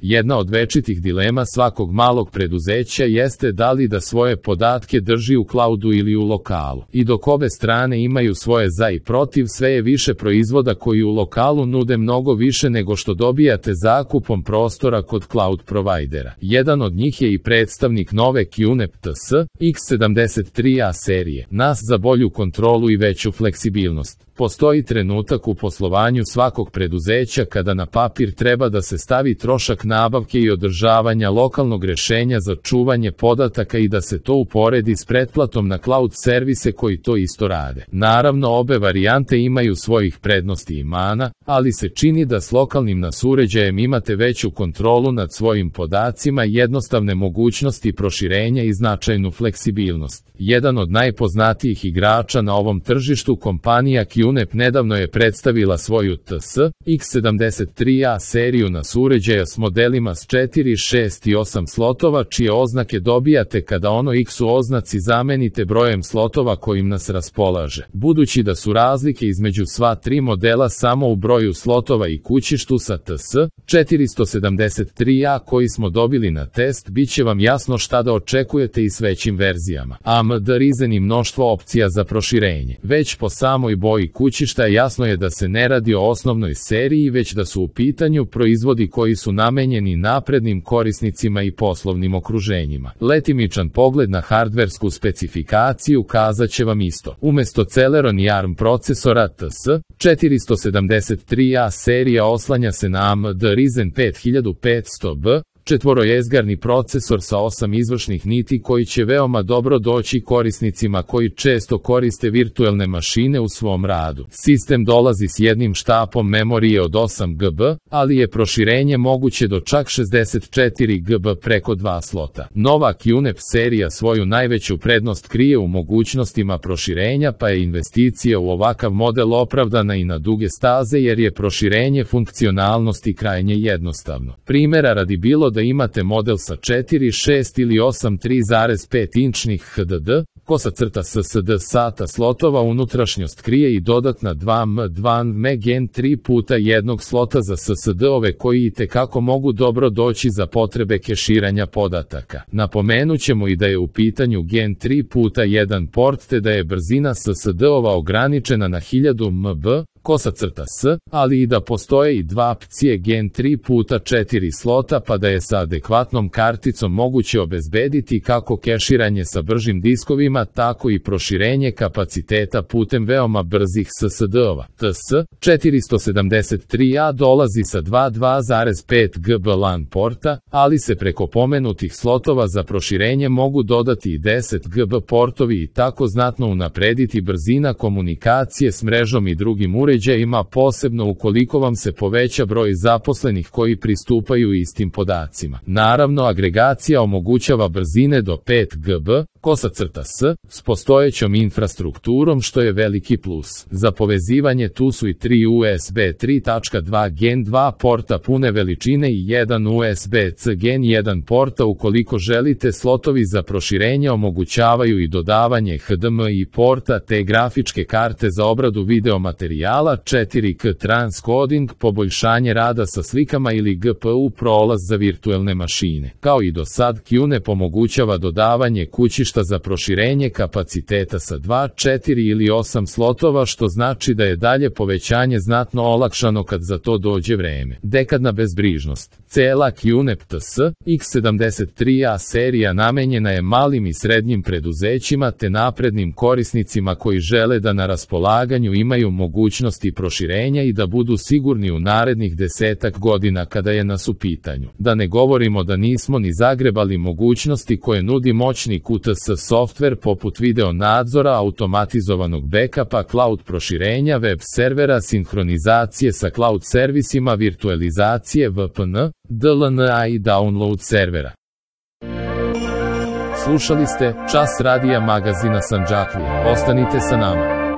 Jedna od večitih dilema svakog malog preduzeća jeste da li da svoje podatke drži u cloudu ili u lokalu. I dok obe strane imaju svoje za i protiv, sve je više proizvoda koji u lokalu nude mnogo više nego što dobijate zakupom prostora kod cloud provajdera. Jedan od njih je i predstavnik nove QNAP TS X73A serije, NAS za bolju kontrolu i veću fleksibilnost. Postoji trenutak u poslovanju svakog preduzeća kada na papir treba da se stavi trošak nabavke i održavanja lokalnog rešenja za čuvanje podataka i da se to uporedi s pretplatom na cloud servise koji to isto rade. Naravno, obe varijante imaju svojih prednosti i mana, ali se čini da s lokalnim NAS uređajem imate veću kontrolu nad svojim podacima, jednostavne mogućnosti proširenja i značajnu fleksibilnost. Jedan od najpoznatijih igrača na ovom tržištu, kompanija QNAP, nedavno je predstavila svoju TS X73A seriju NAS uređaja s modelima s 4, 6 i 8 slotova, čije oznake dobijate kada ono X u oznaci zamenite brojem slotova kojim NAS raspolaže. Budući da su razlike između sva tri modela samo u broju slotova i kućištu, sa TS 473A koji smo dobili na test, bit će vam jasno šta da očekujete i s većim verzijama. AMD Ryzen i mnoštvo opcija za proširenje. Već po samoj boji kućišta jasno je da se ne radi o osnovnoj seriji, već da su u pitanju proizvodi koji su namenjeni naprednim korisnicima i poslovnim okruženjima. Letimičan pogled na hardversku specifikaciju kazat će vam isto. Umesto Celeron i ARM procesora, TS 473A serija oslanja se na AMD Ryzen 5500B, četvorojezgarni procesor sa 8 izvršnih niti koji će veoma dobro doći korisnicima koji često koriste virtuelne mašine u svom radu. Sistem dolazi s jednim štapom memorije od 8 GB, ali je proširenje moguće do čak 64 GB preko 2 slota. Nova QNAP serija svoju najveću prednost krije u mogućnostima proširenja, pa je investicija u ovakav model opravdana i na duge staze jer je proširenje funkcionalnosti krajnje jednostavno. Primera radi, bilo da imate model sa 4, 6 ili 8 3,5 inčnih HDD, SSD SATA slotova, unutrašnjost krije i dodatna 2 MB Gen 3 puta jednog slota za SSD-ove koji itekako mogu dobro doći za potrebe keširanja podataka. Napomenut ćemo i da je u pitanju Gen 3 puta 1 port, te da je brzina SSD-ova ograničena na 1000 MB, ali i da postoje i dva opcije Gen 3 puta 4 slota, pa da je sa adekvatnom karticom moguće obezbediti kako keširanje sa bržim diskovima, tako i proširenje kapaciteta putem veoma brzih SSD-ova. TS 473A dolazi sa 2,5 GB LAN porta, ali se preko pomenutih slotova za proširenje mogu dodati i 10 GB portovi i tako znatno unaprediti brzina komunikacije s mrežom i drugim uređajima, posebno ukoliko vam se poveća broj zaposlenih koji pristupaju istim podacima. Naravno, agregacija omogućava brzine do 5 GB, s postojećom infrastrukturom, što je veliki plus. Za povezivanje tu su i 3 USB 3.2 Gen 2 porta pune veličine i 1 USB-C Gen 1 porta. Ukoliko želite, slotovi za proširenje omogućavaju i dodavanje HDMI porta te grafičke karte za obradu video materijala, 4K transcoding, poboljšanje rada sa slikama ili GPU prolaz za virtuelne mašine. Kao i do sad, QNAP omogućava dodavanje kućišta za proširenje kapaciteta sa 2, 4 ili 8 slotova, što znači da je dalje povećanje znatno olakšano kad za to dođe vreme. Dekadna bezbrižnost. Cela QNAP TS X73A serija namenjena je malim i srednjim preduzećima te naprednim korisnicima koji žele da na raspolaganju imaju mogućnosti proširenja i da budu sigurni u narednih 10 godina kada je nas u pitanju. Da ne govorimo da nismo ni zagrebali mogućnosti koje nudi moćni QTS softver poput video nadzora, automatizovanog backupa, cloud proširenja, web servera, sinhronizacije sa cloud servisima, virtualizacije, VPN, DLNA i download servera. Slušali ste Čas radija magazina Sandžaklija. Ostanite sa nama.